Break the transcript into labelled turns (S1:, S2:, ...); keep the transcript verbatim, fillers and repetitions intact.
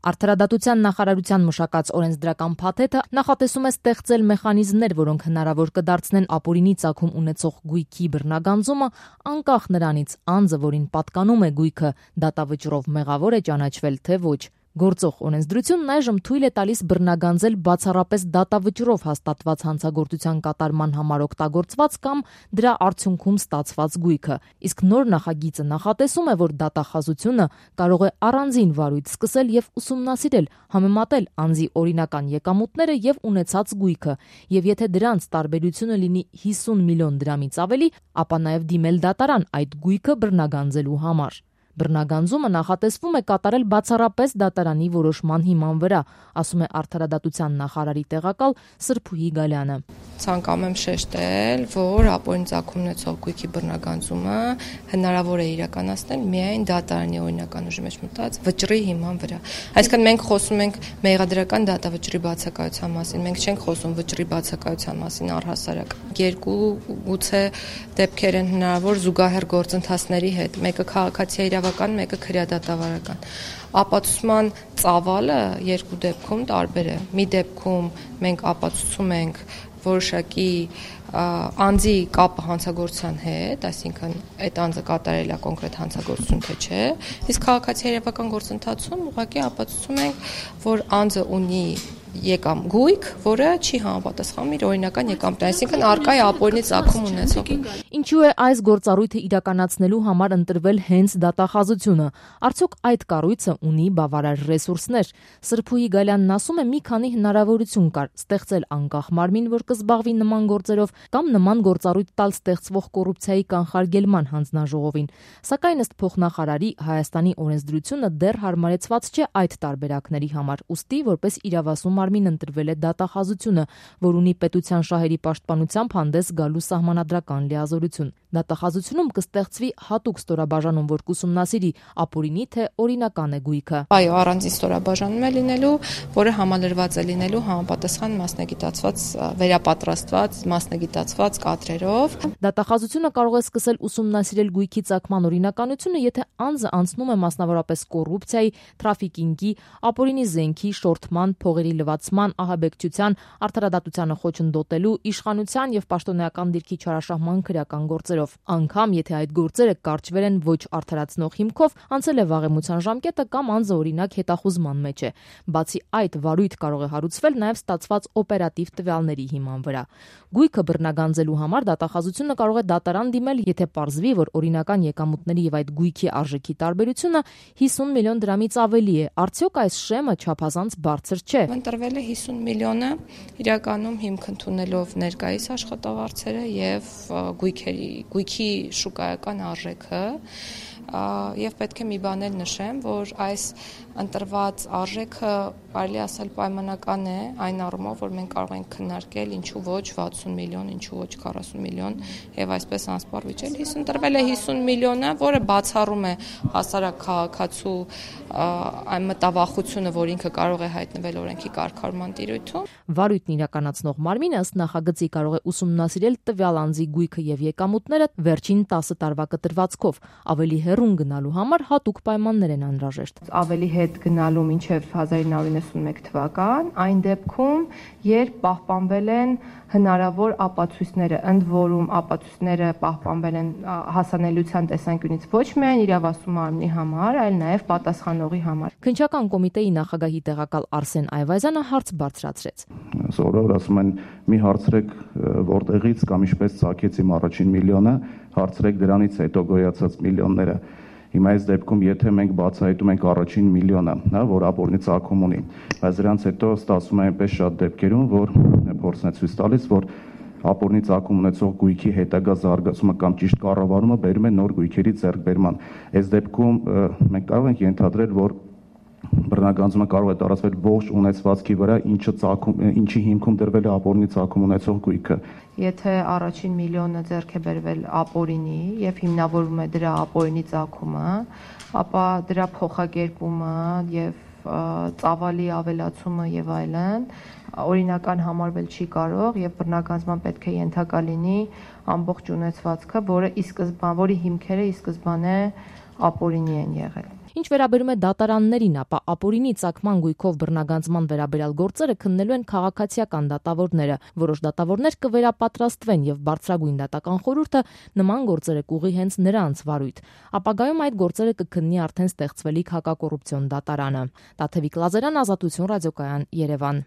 S1: Արդարադատության նախարարության մշակած օրենսդրական փաթեթը նախատեսում է ստեղծել մեխանիզմներ, որոնք հնարավոր կդարձնեն ապօրինի ծագում ունեցող գույքի բռնագանձումը, անկախ նրանից անձը, որին պատկանում է գույքը, դատավճռով մեղավոր է ճանաչվել, թե ոչ։ Գործող օրենսդրությունն այժմ թույլ է տալիս բռնագանձել բացառապես դատավճռով հաստատված հանցագործության կատարման համար օգտագործված կամ դրա արդյունքում ստացված գույքը, իսկ նոր նախագիծը նախատեսում է, որ դատախազությունը կարող է առանձին վարույթ սկսել եւ ուսումնասիրել, համեմատել անձի օրինական եկամուտները եւ ունեցած գույքը, եւ եթե դրանց տարբերությունը լինի հիսուն միլիոն դրամից ավելի, ապա նաեւ դիմել դատարան այդ գույքը բռնագանձելու համար։ Բռնագանձումը նախատեսվում է կատարել բացառապես դատարանի որոշման հիման վրա, ասում է Արդարադատության նախարարի տեղակալ Սրփուհի Գալյանը։
S2: Ցանկանում եմ շեշտել, որ ապօրինի ծագում ունեցող գույքի բռնագանձումը հնարավոր է իրականացնել միայն դատարանի օրինական ուժի մեջ մտած վճռի հիման վրա։ Այսինքն մենք խոսում ենք մեղադրական դատավճռի բացակայության մասին, մենք չենք խոսում վճռի բացակայության մասին առհասարակ։ Երկու գուցե դեպքեր են հնարավոր զուգահեռ գործընթացների հետ, մեկը քաղաքացի իրավական, մեկը քրեադատավարական։ Ապացուցման ծավալը երկու դեպքում տարբեր է։ Մի դեպքում մենք ապացուցում ենք որոշակի անձի կապը հանցագործության հետ, այսինքն այդ անձը կատարել է կոնկրետ հանցագործություն թե չէ, իսկ քաղաքացի իրավական գործընթացում ուղղակի ապացուցում ենք, որ անձը ունի եկամ գույք, որը չի համապատասխանում իր օրինական եկամուտին, այսինքն առկա է ապօրինի ծագում ունեցող։
S1: Ինչու է այս գործառույթը իրականացնելու համար ընտրվել հենց դատախազությունը։ Արդյոք այդ կառույցը ունի բավարար ռեսուրսներ։ Սրփուհի Գալյանն ասում է, մի քանի հնարավորություն կար՝ ստեղծել անկախ մարմին, որ կզբաղվի նման գործերով, կամ նման գործառույթ տալ ստեղծվող կոռուպցիայի կանխարգելման հանձնաժողովին։ Սակայն ըստ փոխնախարարի Հայաստանի օրենսդրությունը դեռ հարմարեցված չէ այդ տարբերակների համար, ուստի որպես իրավասու մարմին ընտրվել է դատախազությունը, որ ունի պետության շահերի պաշտպանությամբ հանդես գալու սահմանադրական լիազորություն։ Դատախազությունում կստեղծվի հատուկ ստորաբաժանում, որ կուսումնասիրի ապօրինի թե օրինական է գույքը։
S2: Այո, առանձին ստորաբաժանում է լինելու, որը համալրված է լինելու համապատասխան մասնագիտացված, վերապատրաստված, մասնագիտացված կադրերով։
S1: Դատախազությունը կարող է սկսել ուսումնասիրել գույքի ծագման օրինականությունը, եթե անձը անցնում է մասնավորապես կոռուպցիայի, թրաֆիկինգի, ապօրինի զենքի, շորթման, փողերի լվացման, ահաբեկչության, արդարադատությանը խոչընդոտելու, իշխանության եւ պաշտոնեական դիրքի չարաշահման քրեական գործերով։ Անգամ եթե այդ գործերը կարճվել են ոչ արդարացնող հիմքով, անցել է վաղեմության ժամկետը կամ անձը օրինակ հետախուզման մեջ է։ Բացի այդ, վարույթ կարող է հարուցվել նաեւ ստացված օպերատիվ տվյալների հիման վրա։ Գույքը բռնագանձելու համար դատախազությունը կարող է դատարան դիմել, եթե պարզվի, որ օրինական եկամուտների եւ այդ գույքի արժեքի տարբերությունը հիսուն միլիոն դրամից ավելի է։ Արդյոք այս շեմը չափազանց բարձր չէ։
S2: Ընտրվել է հիսուն միլիոնը, իրականում հիմք ընդունելով ներկայիս աշխատավարձերը եւ գույքերի, գույքի շուկայական արժեքը, եւ պետք է մի բան էլ նշեմ, որ այս ընտրված արժեքը կարելի ասել պայմանական է այն առումով, որ մենք կարող ենք քննարկել ինչու ոչ վաթսուն միլիոն, ինչու ոչ քառասուն միլիոն եւ այսպես անսպառ վիճել։ Իսկ ընտրվել է հիսուն միլիոնը, որը բացառում է հասարակ քաղաքացու այն մտավախությունը, որ ինքը կարող է հայտնվել օրենքի կարգավորման տիրույթում։
S1: Վարույթն իրականացնող մարմինը ըստ նախագծի կարող է ուսումնասիրել տվյալ անձի գույքը եւ եկամուտները վերջին տասը տարվա կտրվածքով, ավելի հեռուն գնալու համար հատուկ պայմաններ են անհրաժեշտ։
S2: Ավելի հետ գնալու մինչև հազար ինը հարյուր նվաթ թվական, այն դեպքում, երբ պահպանվել են հնարավոր ապացույցները, ընդ որում ապացույցները պահպանվել են հասանելիության տեսանկյունից ոչ միայն իրավասու մարմնի համար, այլ նաև պատասխանողի համար։
S1: Քննչական կոմիտեի նախագահի տեղակալ Արսեն Այվազյանը հարց բարձրացրեց։
S3: Սովորաբար ասում են՝ մի հարցրեք որտեղից կամ ինչպես ծագեց իմ առաջին միլիոնը, հարցրեք դրանից հետո գոյացած միլիոնները։ Հիմա այս դեպքում, եթե մենք բացահայտում ենք առաջին միլիոնը, հա, որ ապօրինի ծագում ունի, բայց դրանից հետո ստացվում է այնպես շատ դեպքերում, որ փորձն է ցույց տալիս, որ ապօրինի ծագում ունեցող գույքի հետագա զարգացումը կամ ճիշտ կառավարումը բերում է նոր գույքերի ձեռքբերման։ Այս դեպքում մենք կարող ենք ենթադրել, որ բռնագանձումը կարող է տարածվել ողջ ունեցվածքի վրա, ինչը ծագում, ինչի հիմքում դրվել է ապօրինի ծագում ունեցող գույքը։
S2: Եթե առաջին միլիոնը ձեռք է բերվել ապօրինի եւ հիմնավորվում է դրա ապօրինի ծագումը, ապա դրա փոխակերպումը եւ ծավալի ավելացումը եւ այլն օրինական համարվել չի կարող եւ բռնագանձման պետք է ենթակա լինի ամբողջ ունեցվածքը, որը ի սկզբան, որի հիմքերը ի սկզբանե ապօրինի են եղել։
S1: Ինչ վերաբերում է դատարաններին, ապա ապօրինի ծագման գույքով բռնագանձման վերաբերյալ գործերը քննելու են քաղաքացիական դատավորները։ Որոշ դատավորներ կվերապատրաստվեն եւ Բարձրագույն դատական խորհուրդը նման գործերը կուղի հենց նրանց վարույթ։ Ապագայում այդ գործերը կքննի արդեն ստեղծվելիք հակակոռուպցիոն դատարանը։ Տաթևիկ Լազարյան, Ազատություն ռադիոկայան, Երևան։